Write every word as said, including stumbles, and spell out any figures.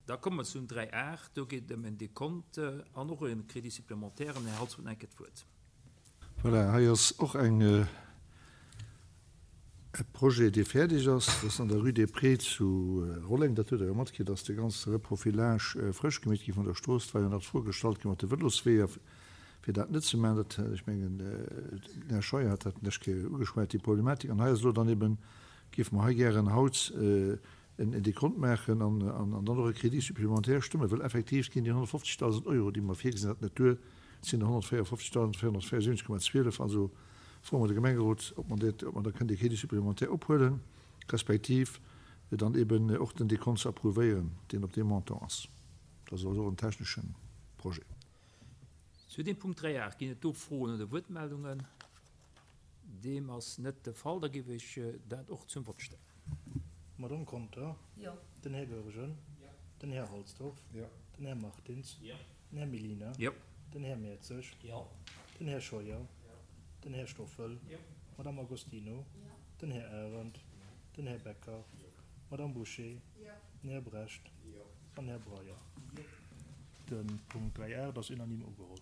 Da komme mer zum dräi aacht. Do geet et ëm en Dekont an och e Crédit supplémentaire. Den Här Holtz huet nach eng Kéier d'Wuert. Voilà, hei ass och eng, e Projet, dee fäerdeg ass. Dat ass an der Rue des Prés zu Rolleng. Dat hutt Der jo matkritt, dass de ganze Reprofilage frësch gemeet gi vun der Strooss. Et war jo nach d'Fro gestallt gi mat de Vëlosweeër, fir dat net ze maachen. Dat, ech mengen, den Här Scheuer hat dat d'lescht Kéier ugeschwat, déi Problematik. An hei ass elo dann eben, géife mer hei gären haut en Dekont maachen an dann och e Crédit supplémentaire stëmmen, well effektiv ginn déi honnertfofzegdausend Euro, déi mer virgesinn haten, net duer. Et sinn der honnertvéierfofzegdausend véierhunnertvéierundsiwwenzeg Komma zwielef. Also froe mer de Gemengerot, ob mer dat, ob mer da kënnen dee Crédit supplémentaire ophuelen, respektiv dann eben och den Dekont ze approuvéieren, deen op deem Montant ass. Dat ass also och en technesche Projet. Zu deem Punkt dräi aacht ginn et do Froen oder Wuertmeldungen? Deem ass net de Fall. Da géif ech dat och zum Vott stellen. D'Madame Conter? Jo. Den Här Goergen? Jo. Den Här Halsdorf? Jo. Den Här Martins? Jo. Den Här Mellina? Jo. Den Här Mertzig? Jo. Den Här Scheuer? Jo. Den Här Stoffel? Jo. D'Madame Agostino? Jo. Den Här Arendt? Jo. Den Här Becker? Jo. D'Madame Bouché? Jo. Den Här Brecht? Jo. An Här Breyer? Jo. De Punkt dräi aacht ass unanime ugeholl.